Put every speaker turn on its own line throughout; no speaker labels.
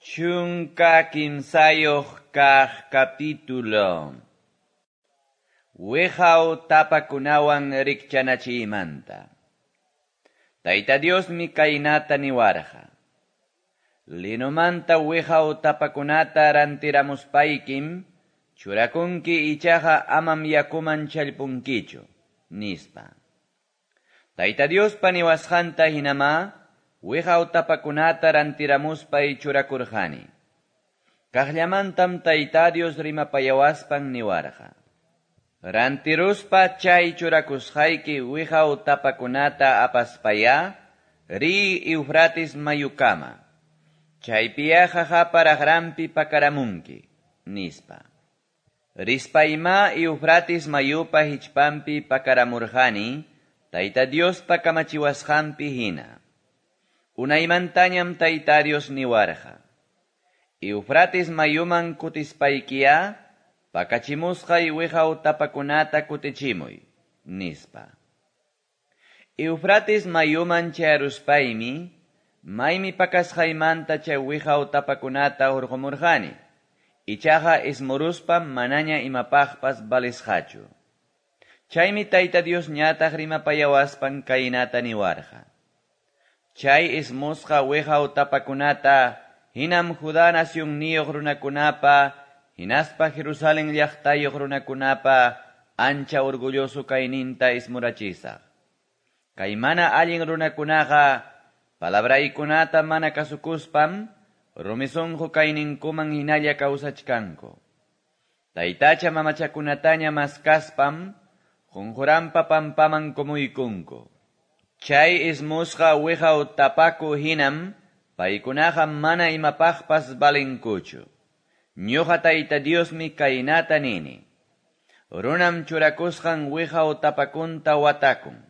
13 kaq capítulo. Wiqaw tapakunawan rikchanachiymanta. Tayta Diosmi kaynata niwarqa. Linomanta wiqaw tapakunata rantiramuspaykim churakunki, ichaqa amam yakuman challpunkichu, nispa. Tayta Diospa niwasqanta hinamá wiqaw tapakunata rantiramuspay churakurqani. Kaqllamantam Tayta Dios rimapayawaspan niwarqa. Rantiruspa chay churakusqayki wiqaw tapakunata apaspayá riy Eufrates mayukama. Chaypiya qaqapa raqranpi pakaramunki, nispa. Rispayma Eufrates mayupa hichpanpi pakaramurqani, Tayta Diospa kamachiwasqanpi hina. Unaymantañam Tayta Dios niwarqa. Eufrates mayuman kutispaykiya, pakachimusqay wiqaw tapakunata kutichimuy, nispa. Eufrates mayuman chayaruspaymi, maymi pakasqaymanta chay wiqaw tapakunata hurqumurqani. Ichaqa ismuruspam manaña imapaqpas valisqachu. Chaymi Tayta Dios ñataq rimapayawaspan kaynata niwarqa. Chay ismusqa wiqaw tapakunata hinam Judá nacionniyuq runakunapa hinaspa Jerusalén llaqtayuq runakunapa ancha orgulloso kayninta ismurachisaq. Kay mana allin runakunaqa palabraykunata mana kasukuspam rumi sunqu kayninkuman hinalla kawsachkanku. Taytacha mamachakunataña maskaspam qunquranpa pampaman kumuykunku. Chay ismusqa wiqaw tapaku hinam paykunaqa mana imapaqpas valinkuchu. Ñuqa Tayta Diosmi kaynata nini. Runam churakusqan wiqaw tapakunta watakun.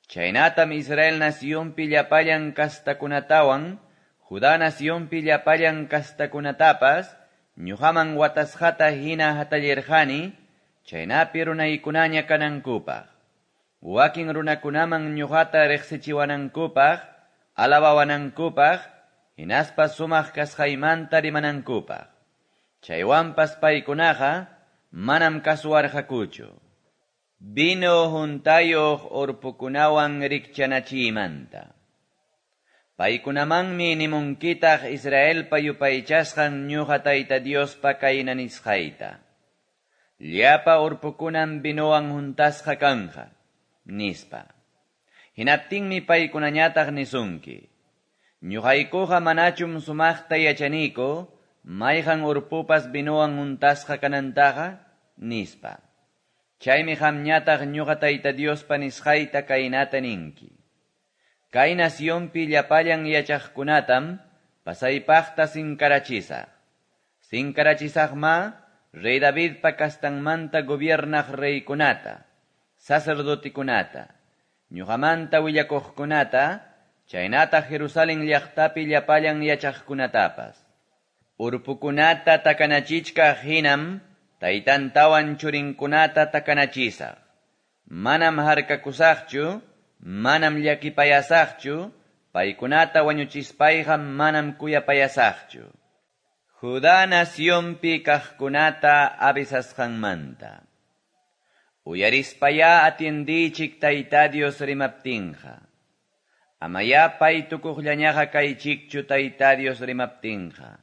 Chaynatam Israel nacionpi llapallan kastakunatawan, Judá nacionpi llapallan kastakunatapas, ñuqaman watasqata hina hatallirqani, chaynapi runaykunaña kanankupaq. Wakin runakunaman ñuqata riqsichiwanankupaq, alabawanankupaq, hinaspa sumaq kasqaymanta rimanankupaq. Chaywanpas paykunaqa manam kasuwarqakuchu. Vino huntayuq urpukunawan rikchanachiymanta. Paykunamanmi nimunkitaq Israelpa yupaychasqan ñuqa Tayta Diospa kayna nisqayta. Llapa urpukunam vinowan huntasqa kanja, nispa. Hinaptinmi paykunañataq nisunki. Ñuqaykuqa manachum sumaqta yachaniku, mayqan urpupas vinowan huntasqa kanantaqa, nispa. Chaymi qamñataq ñuqa Tayta Diospa nisqayta kaynata ninki. Kay nacionpi llapallan yachaqkunatam pasaypaqta sinkarachisaq. Sinkarachisaqma rey Davidpa kastanmanta gobiernaq reykunata, sacerdotikunata, ñuqamanta willakuqkunata, chaynataq Jerusalén llaqtapi llapallan yachaqkunatapas. Urpukunata takanachichkaq hinam taytantawan churinkunata takanachisaq. Manam harkakusaqchu, manam llakipayasaqchu, paykunata wañuchispayqa manam kuyapayasaqchu. Judá nacionpi kaqkunata avisasqanmanta. Uyarispayá atiendichik Tayta Dios rimaptinqa. Amayá paytukuqllañaqa kaychikchu Tayta Dios rimaptinqa.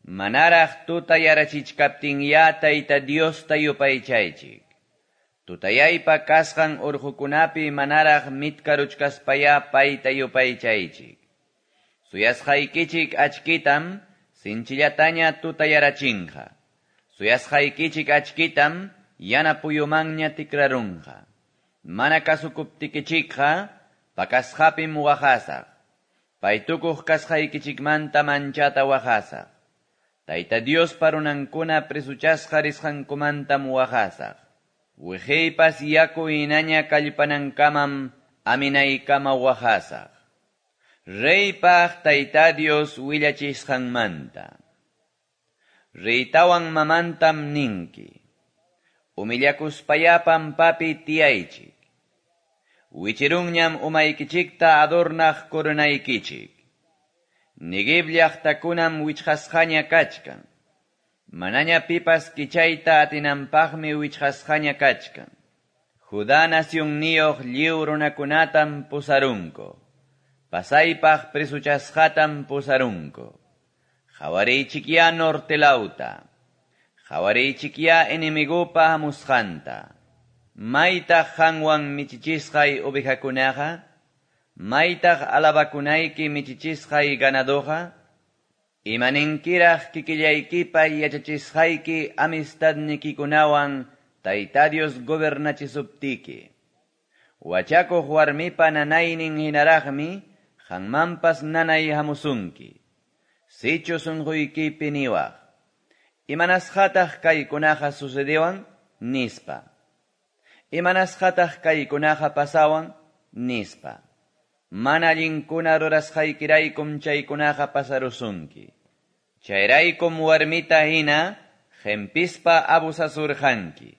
Manaraq tutayarachichkaptinyá Tayta Diosta yupaychaychik. Tutayaypa kasqan urqukunapi manaraq mitkaruchkaspayá payta yupaychaychik. Suyasqaykichik achkitam sinchillataña tutayarachinqa. Suyasqaykichik achkitam yana puyumanña tikrarunqa. Mana kasukuptikichikqa pakasqapim waqasaq. Paytukuq kasqaykichikmanta manchata waqasaq. Tayta Diospa runankuna presuchasqa risqankumantam waqasaq. Wiqiypas yaku hinaña kallpanankamam aminaykama waqasaq. Reypaq Tayta Dios willachisqanmanta. Reytawan mamantam ninki. Humillakuspayá pampapi tiyaychik. Wichirunñam umaykichikta adornaq coronaykichik. Neguev llaqtakunam wichqasqaña kachkan. Manaña pipas kichayta atinanpaqmi wichqasqaña kachkan. Judá nacionniyuq lliw runakunatam pusarunku. Pasaypaq presochasqatam pusarunku. Qawariychikyá norte lawta. Qawariychikyá enemigopa hamusqanta. Maytaq qanwan michichisqay ovejakunaqa? Maytaq alabakunayki michichisqay ganadoqa? Imaninkiraq kikillaykipa yachachisqayki amistadnikikunawan Tayta Dios gobernachisuptiki. Wachakuq warmipa nanaynin hinaraqmi qanmanpas nanay hamusunki. Sichu sunquykipi niwaq. Imanasqataq kaykunaqa sucedewan? Nispa. Imanasqataq kaykunaqa pasawan? Nispa. Mana allinkuna rurasqaykiraykum chaykunaqa pasarusunki. Chayraykum warmita hina qempispa abusasurqanki.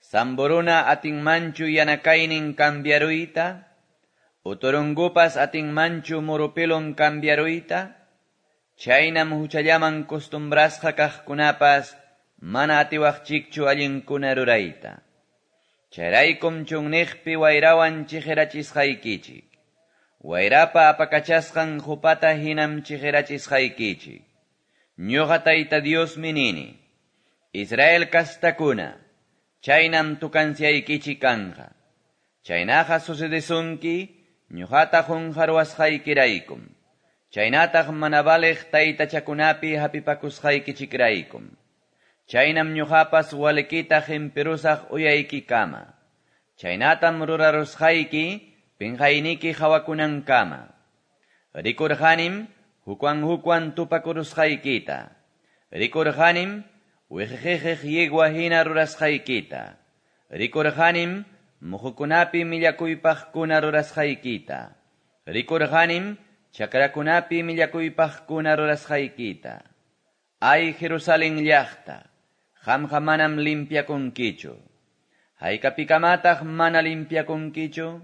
Samburuna atinmanchu yanakaynin cambiaruyta? Uturungupas atinmanchu murupilun cambiaruyta? Chaynam huchallaman costumbrasqa kaqkunapas mana atiwaqchikchu allinkuna rurayta. Chayraykum chunniqpi wayrawan chiqirachisqaykichik. Wayrapa apakachasqan qupata hinam chiqirachisqaykichik. Ñuqa Tayta Diosmi nini. Israel kastakuna, chaynam tukanciaykichik kanqa. Chaynaqa sucedesunki, ñuqata qunqaruwasqaykiraykum. Chaynataq mana valeq taytachakunapi hapipakusqaykichikraykum. Chaynam ñuqapas walikita qhimpirusaq uyaykikama. Chaynatam rurarusqayki pinqayniki hawakunankama. Rikurqanim hukwan hukwan tupakurusqaykita. Rikurqanim wiqiqiq yegua hina rurasqaykita. Rikurqanim muhukunapi millakuypaqkuna rurasqaykita. Rikurqanim chakrakunapi millakuypaqkuna rurasqaykita. Ay Jerusalén llaqta, qamqa manam limpiakunkichu. Haykapikamataq mana limpiakunkichu?